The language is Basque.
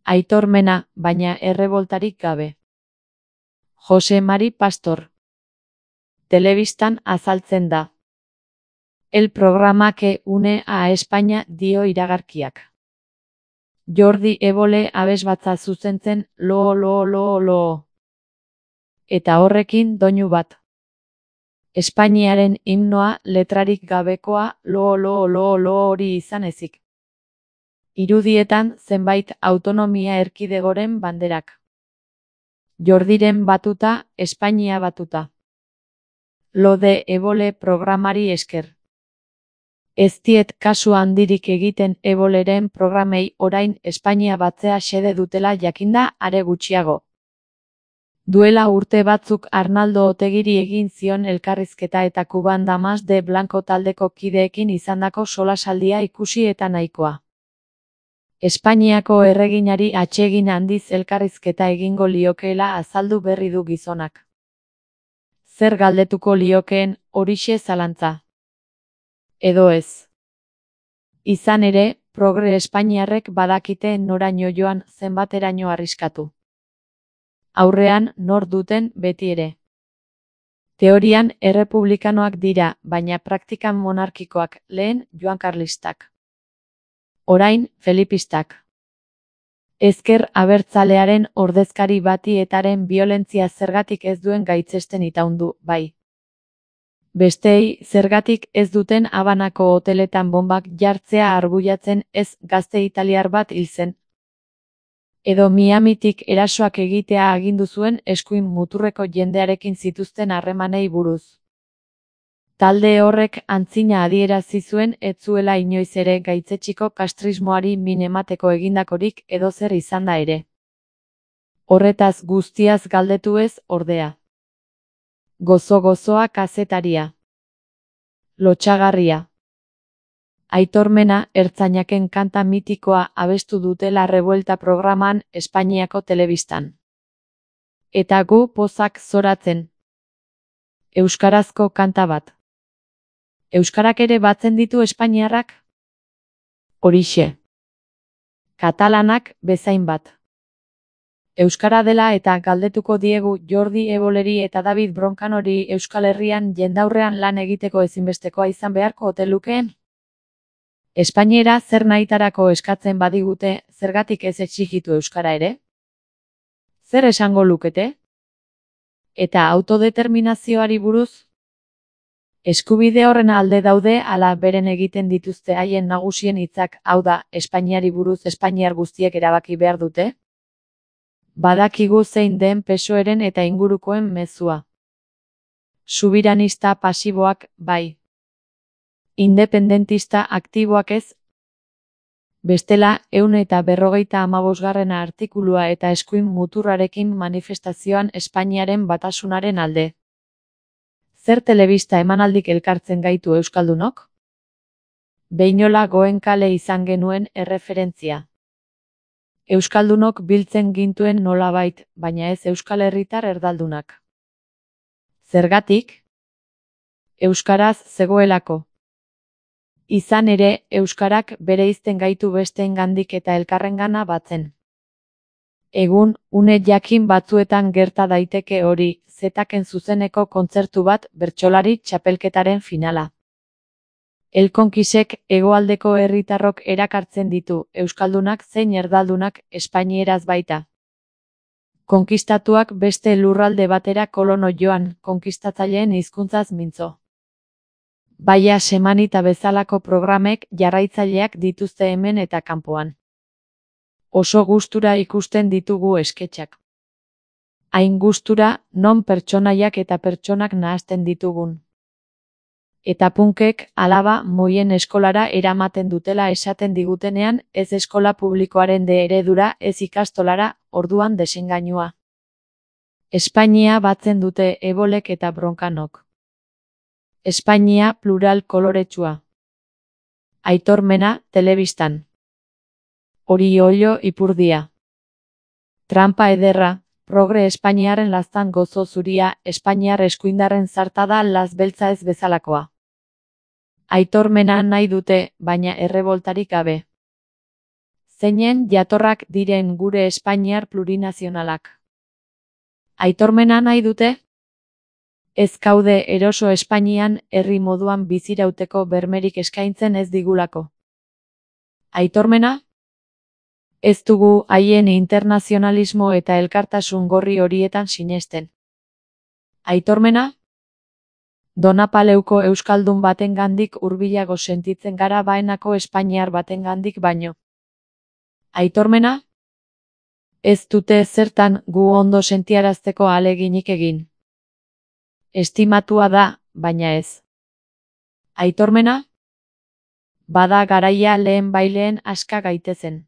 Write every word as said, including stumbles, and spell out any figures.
Aitormena, baina erreboltarik gabe. Jose Mari Pastor. Telebistan azaltzen da. El programa que une a España dio iragarkiak. Jordi Évole abesbatza zuzentzen lo lo lo lo. Eta horrekin doinu bat. Espainiaren himnoa letrarik gabekoa lo lo lo lo hori izan ezik. Irudietan zenbait autonomia erkidegoren banderak. Jordiren batuta, Espainia batuta. Lo de Évole programari esker. Ez diet kasu handirik egiten Évoleren programei orain Espainia batzea xede dutela jakinda are gutxiago. Duela urte batzuk Arnaldo Otegiri egin zion elkarrizketa eta Kuban Damas de Blanco taldeko kideekin izandako solasaldia ikusi eta nahikoa. Espainiako erreginari atsegin handiz elkarrizketa egingo liokeela azaldu berri du gizonak. Zer galdetuko liokeen horixe zalantza. Edo ez. Izan ere, progre espainiarrek badakite noraino joan zenbateraino arriskatu. Aurrean nor duten beti ere. Teorian errepublikanoak dira, baina praktikan monarkikoak, lehen Joan Karlistak. Orain, Felipistak. Ezker abertzalearen ordezkari bati etaren biolentzia zergatik ez duen gaitzesten itaundu, bai. Besteei zergatik ez duten Habanako hoteletan bombak jartzea arbuiatzen ez gazte italiar bat hil zen. Edo Miamitik erasoak egitea agindu zuen eskuin muturreko jendearekin zituzten harremanei buruz. Talde horrek antzina adierazi zuen ez zuela inoiz ere gaitzetxiko kastrismoari min emateko egindakorik edozer izan da ere. Horretaz guztiaz galdetu ez, ordea. Gozo-gozoa kazetaria. Lotsagarria. Aitormena ertzainaken kanta mitikoa abestu dutela Revuelta programan Espainiako telebistan. Eta gu pozak zoratzen. Euskarazko kanta bat. Euskarak ere batzen ditu espainiarrak? Horixe. Katalanak bezain bat. Euskara dela eta galdetuko diegu Jordi Évoleri eta David Broncanori Euskal Herrian jendaurrean lan egiteko ezinbestekoa izan beharko ote lukeen? Espainiera zer nahitarako eskatzen badigute, zergatik ez exigitu euskara ere? Zer esango lukete? Eta autodeterminazioari buruz? Eskubide horren alde daude ala beren egiten dituzte haien nagusien hitzak, hau da, Espainiari buruz espainiar guztiek erabaki behar dute? Badakigu zein den P S O Eren eta ingurukoen mezua. Subiranista pasiboak, bai. Independentista aktiboak ez. Bestela, ehun eta berrogeita hamabosgarrena artikulua eta eskuin muturrarekin manifestazioan Espainiaren batasunaren alde. Zer telebista emanaldik elkartzen gaitu euskaldunok? Behinola Goenkale izan genuen erreferentzia. Euskaldunok biltzen gintuen nolabait, baina ez Euskal Herritar erdaldunak. Zergatik? Euskaraz zegoelako. Izan ere, euskarak bereizten gaitu besteengandik eta elkarrengana batzen. Egun, une jakin batzuetan gerta daiteke hori, zetaken zuzeneko kontzertu bat bertsolari txapelketaren finala. Elkonkisek hegoaldeko herritarrok erakartzen ditu, euskaldunak zein erdaldunak espainieraz baita. Konkistatuak beste lurralde batera kolono joan, konkistatzaileen hizkuntzaz mintzo. Baia semanita bezalako programek jarraitzaileak dituzte hemen eta kanpoan. Oso gustura ikusten ditugu esketxak. Hain gustura, non pertsonaiak eta pertsonak nahasten ditugun. Eta punkek alaba moien eskolara eramaten dutela esaten digutenean ez eskola publikoaren de eredura ez ikastolara, orduan desengainua. Espainia batzen dute Évolek eta Broncanok. Espainia plural koloretsua. Aitormena telebistan. Oriollo ipurdia. Trampa ederra, progre Espainiaren laztan gozo zuria, Espainiar eskuindarren zartada laz beltza ez bezalakoa. Aitormena nahi dute, baina erreboltarik gabe. zeinen jatorrak diren gure espainiar plurinazionalak. Aitormena nahi dute? Ez kaude eroso Espainian herri moduan bizirauteko bermerik eskaintzen ez digulako. Aitormena? Ez dugu haien internazionalismo eta elkartasun gorri horietan sinesten. Aitormena? Donapaleuko euskaldun batengandik hurbilago sentitzen gara baenako espainiar batengandik baino. Aitormena? Ez dute zertan gu ondo sentiarazteko ahaleginik egin. Estimatua da, baina ez. Aitormena? Bada garaia lehen baileen aska gaitezen.